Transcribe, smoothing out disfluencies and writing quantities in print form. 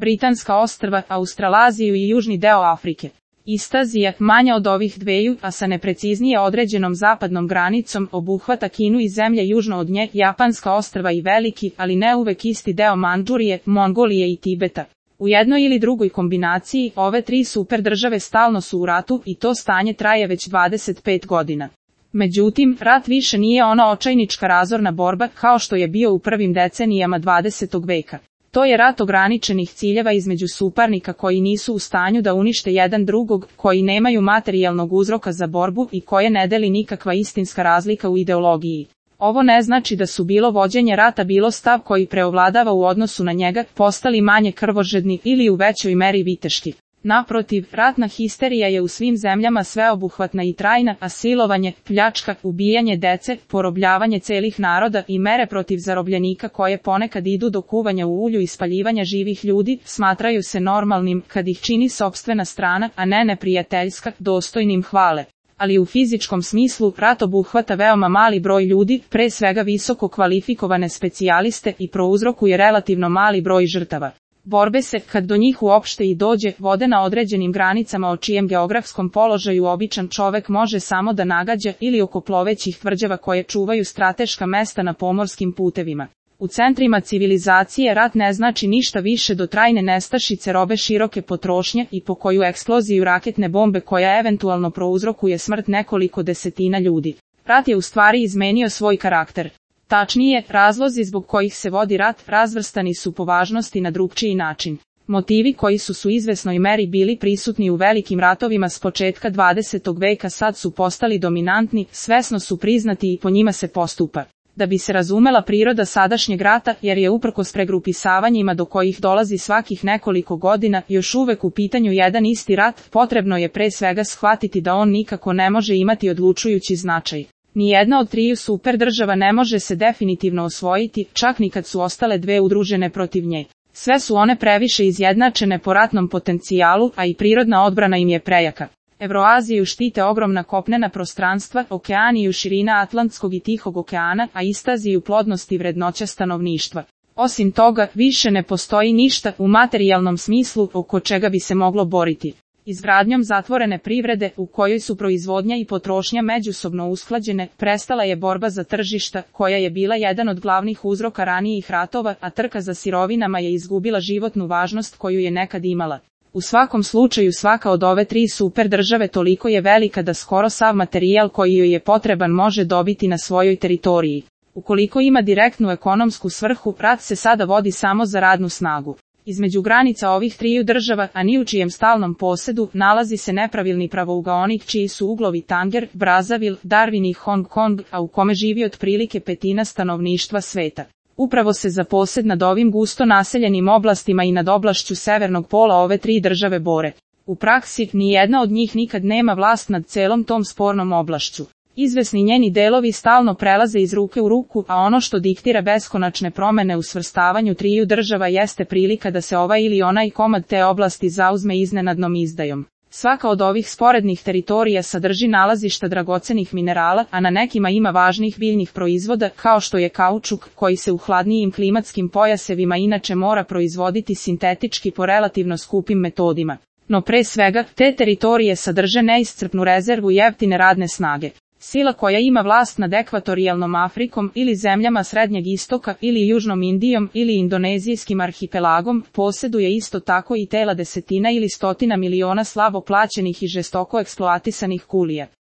Britanska ostrva, Australaziju i južni deo Afrike. Ista Azija, manja od ovih dveju, a sa nepreciznije određenom zapadnom granicom, obuhvata Kinu i zemlje južno od nje, Japanska ostrva i veliki, ali ne uvek isti deo Mandžurije, Mongolije i Tibeta. U jednoj ili drugoj kombinaciji, ove tri superdržave stalno su u ratu i to stanje traje već 25 godina. Međutim, rat više nije ona očajnička razorna borba kao što je bio u prvim decenijama 20. veka. To je rat ograničenih ciljeva između suparnika koji nisu u stanju da unište jedan drugog, koji nemaju materijalnog uzroka za borbu i koje ne deli nikakva istinska razlika u ideologiji. Ovo ne znači da su bilo vođenje rata bilo stav koji preovladava u odnosu na njega, postali manje krvožedni ili u većoj meri viteški. Naprotiv, ratna histerija je u svim zemljama sveobuhvatna i trajna, a silovanje, pljačka, ubijanje dece, porobljavanje celih naroda i mere protiv zarobljenika koje ponekad idu do kuvanja u ulju i spaljivanja živih ljudi, smatraju se normalnim kad ih čini sopstvena strana, a ne neprijateljska, dostojnim hvale. Ali u fizičkom smislu rat obuhvata veoma mali broj ljudi, pre svega visoko kvalifikovane specijaliste i prouzrokuje relativno mali broj žrtava. Borbe se, kad do njih uopšte i dođe, vode na određenim granicama o čijem geografskom položaju običan čovek može samo da nagađa ili oko plovećih tvrđava koje čuvaju strateška mesta na pomorskim putevima. U centrima civilizacije rat ne znači ništa više do trajne nestašice robe široke potrošnje i po koju eksploziju raketne bombe koja eventualno prouzrokuje smrt nekoliko desetina ljudi. Rat je u stvari izmenio svoj karakter. Tačnije, razlozi zbog kojih se vodi rat razvrstani su po važnosti na drugčiji način. Motivi koji su u izvesnoj meri bili prisutni u velikim ratovima s početka 20. veka sad su postali dominantni, svesno su priznati i po njima se postupa. Da bi se razumela priroda sadašnjeg rata, jer je uprkos pregrupisavanjima do kojih dolazi svakih nekoliko godina, još uvek u pitanju jedan isti rat, potrebno je pre svega shvatiti da on nikako ne može imati odlučujući značaj. Nijedna od triju superdržava ne može se definitivno osvojiti, čak ni kad su ostale dve udružene protiv nje. Sve su one previše izjednačene po ratnom potencijalu, a i prirodna odbrana im je prejaka. Evroaziju štite ogromna kopnena prostranstva, Okeaniju širina Atlantskog i Tihog okeana, a Istaziju plodnost i vrednoća stanovništva. Osim toga, više ne postoji ništa u materijalnom smislu oko čega bi se moglo boriti. Izgradnjom zatvorene privrede, u kojoj su proizvodnja i potrošnja međusobno usklađene, prestala je borba za tržišta, koja je bila jedan od glavnih uzroka ranijih ratova, a trka za sirovinama je izgubila životnu važnost koju je nekad imala. U svakom slučaju svaka od ove tri superdržave toliko je velika da skoro sav materijal koji joj je potreban može dobiti na svojoj teritoriji. Ukoliko ima direktnu ekonomsku svrhu, rat se sada vodi samo za radnu snagu. Između granica ovih triju država, a ni u čijem stalnom posedu, nalazi se nepravilni pravougaonik čiji su uglovi Tanger, Brazzaville, Darwin i Hong Kong, a u kome živi otprilike petina stanovništva sveta. Upravo se za posed nad ovim gusto naseljenim oblastima i nad oblašću severnog pola ove tri države bore. U praksi, nijedna od njih nikad nema vlast nad celom tom spornom oblašću. Izvesni njeni delovi stalno prelaze iz ruke u ruku, a ono što diktira beskonačne promene u svrstavanju triju država jeste prilika da se ovaj ili onaj komad te oblasti zauzme iznenadnom izdajom. Svaka od ovih sporednih teritorija sadrži nalazišta dragocenih minerala, a na nekima ima važnih biljnih proizvoda, kao što je kaučuk, koji se u hladnijim klimatskim pojasevima inače mora proizvoditi sintetički po relativno skupim metodima. No pre svega, te teritorije sadrže neiscrpnu rezervu jeftine radne snage. Sila koja ima vlast nad ekvatorijalnom Afrikom ili zemljama Srednjeg istoka ili Južnom Indijom ili Indonezijskim arhipelagom, posjeduje isto tako i tela desetina ili stotina miliona slabo plaćenih i žestoko eksploatisanih kulija.